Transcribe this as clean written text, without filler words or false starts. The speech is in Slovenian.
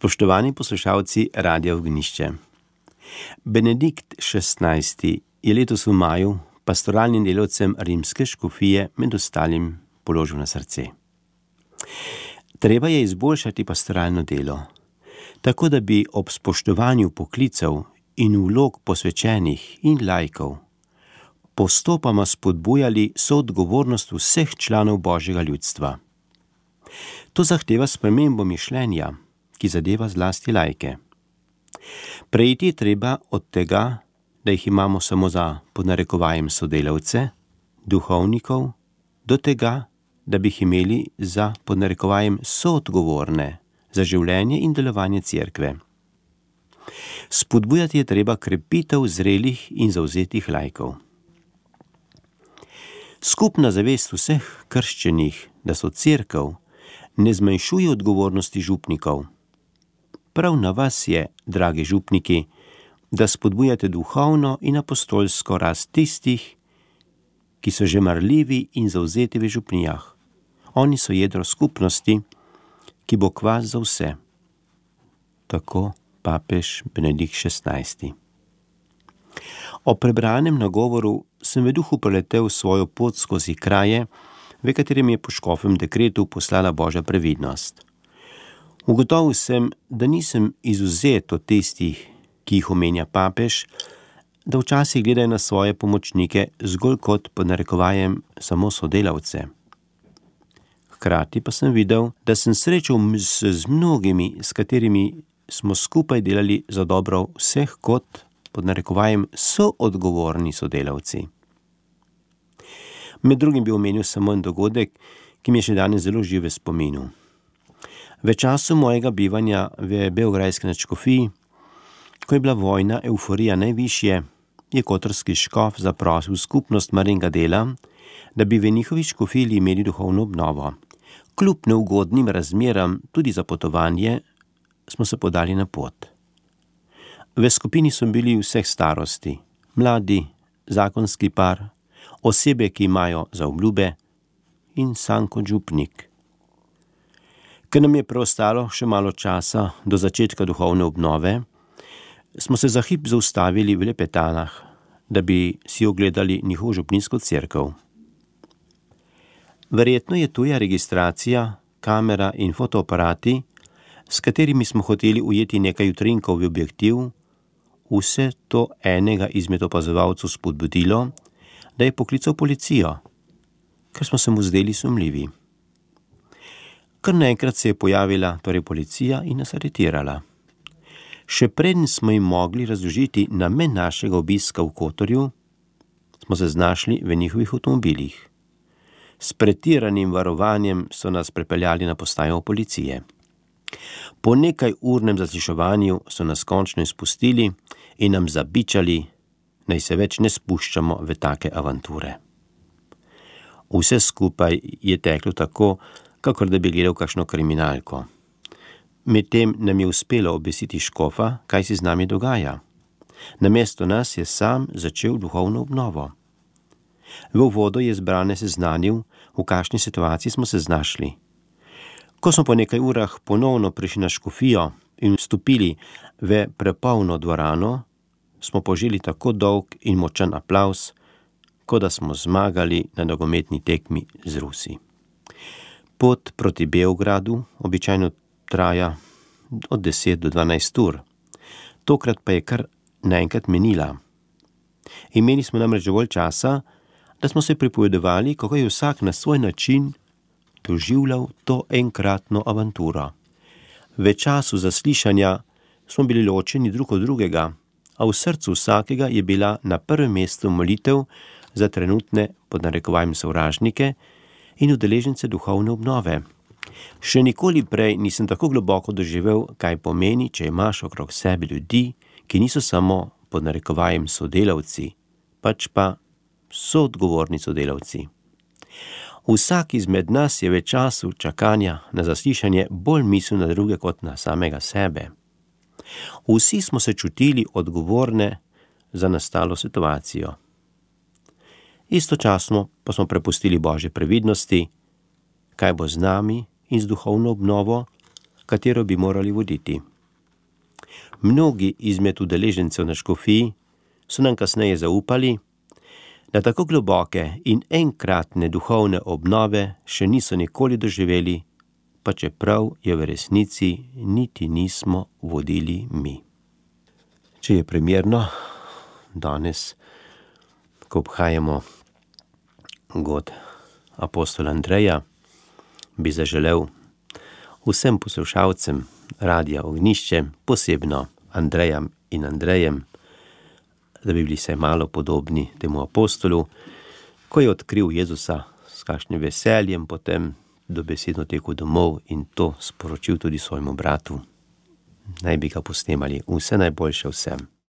Spoštovani poslušalci Radia Ognišče. Benedikt XVI. Je letos v maju pastoralnim delavcem rimske škofije med ostalim položil na srce. Treba je izboljšati pastoralno delo, tako da bi ob spoštovanju poklicev in vlog posvečenih in laikov postopoma spodbujali soodgovornost vseh članov Božjega ljudstva. To zahteva spremembo mišljenja, ki zadeva zlasti laike. Preiti je treba od tega, da jih imamo samo za pod narekovajem sodelavce, duhovnikov, do tega, da bi jih imeli za pod narekovajem soodgovorne za življenje in delovanje cerkve. Spodbujati je treba krepitev zrelih in zavzetih laikov. Skupna zavest vseh krščenih, da so cerkev, ne zmanjšuje odgovornosti župnikov. Prav na vas je, dragi župniki, da spodbujate duhovno in apostolsko rast tistih, ki so že marljivi in zavzeti v župnijah. Oni so jedro skupnosti, ki bo kvas za vse. Tako papež Benedikt XVI. O prebranem nagovoru sem v duhu preletel svojo pot skozi kraje, v katerem je po škofem dekretu poslala Božja previdnost. Ugotovil sem, da nisem izvzet od tistih, ki jih omenja papež, da včasih gledajo na svoje pomočnike zgolj kot pod narekovajem samo sodelavce. Hkrati pa sem videl, da sem srečal z mnogimi, s katerimi smo skupaj delali za dobro vseh kot pod narekovajem soodgovorni sodelavci. Med drugim bi omenil samo en dogodek, ki mi je še danes zelo živ v spominu. V času mojega bivanja v beograjski nadškofiji, ko je bila vojna evforija najvišje, je kotorski škof zaprosil skupnost Marijinega dela, da bi v njihovi škofiji imeli duhovno obnovo. Kljub neugodnim razmeram tudi za potovanje smo se podali na pot. V skupini so bili vseh starosti, mladi, zakonski par, osebe, ki imajo zaobljube in sam kot župnik. Ker nam je preostalo še malo časa do začetka duhovne obnove, smo se za hip zaustavili v Lepetanah, da bi si ogledali njihovo župninsko cerkev. Verjetno je tuja registracija, kamera in fotoaparati, s katerimi smo hoteli ujeti nekaj utrinkov v objektiv, vse to enega izmed opazovalcev spodbudilo, da je poklical policijo, ker smo se mu zdeli sumljivi. Kar naenkrat se je pojavila policija in nas aretirala. Še preden smo jim mogli razložiti namen našega obiska v Kotorju, smo se znašli v njihovih avtomobilih. S pretiranim varovanjem so nas prepeljali na postajo policije. Po nekaj urnem zasliševanju so nas končno izpustili in nam zabičali, naj se več ne spuščamo v take avanture. Vse skupaj je teklo tako, kakor da bi gledal kakšno kriminalko. Medtem nam je uspelo obvestiti škofa, kaj se z nami dogaja. Namesto nas je sam začel duhovno obnovo. V uvodu je zbrane seznanil, v kakšni situaciji smo se znašli. Ko smo po nekaj urah ponovno prišli na škofijo in vstopili v prepolno dvorano, smo poželi tako dolg in močan aplavz, kot da smo zmagali na nogometni tekmi z Rusi. Pot proti Beogradu običajno traja od 10 do 12 ur. Tokrat pa je kar naenkrat menila. Imeli smo namreč dovolj časa, da smo se pripovedovali, kako je vsak na svoj način doživljal to enkratno avanturo. V času zaslišanja smo bili ločeni drug od drugega, a v srcu vsakega je bila na prvem mestu molitev za trenutne pod narekovajem sovražnike in udeležence duhovne obnove. Še nikoli prej nisem tako globoko doživel, kaj pomeni, če imaš okrog sebe ljudi, ki niso samo pod narekovajem sodelavci, pač pa soodgovorni sodelavci. Vsak izmed nas je v času čakanja na zaslišanje bolj mislil na druge kot na samega sebe. Vsi smo se čutili odgovorne za nastalo situacijo. Istočasno pa smo prepustili Božje previdnosti, kaj bo z nami in z duhovno obnovo, katero bi morali voditi. Mnogi izmed udeležencev na škofiji so nam kasneje zaupali, da tako globoke in enkratne duhovne obnove še niso nikoli doživeli, pa čeprav je v resnici niti nismo vodili mi. Če je primerno, danes, ko obhajamo god apostola Andreja, bi zaželel vsem poslušalcem Radia Ognjišče, posebno Andrejam in Andrejem, da bi bili se malo podobni temu apostolu, ko je odkril Jezusa s kakšnim veseljem, potem dobesedno tekel domov in to sporočil tudi svojemu bratu. Naj bi ga posnemali. Vse najboljše vsem.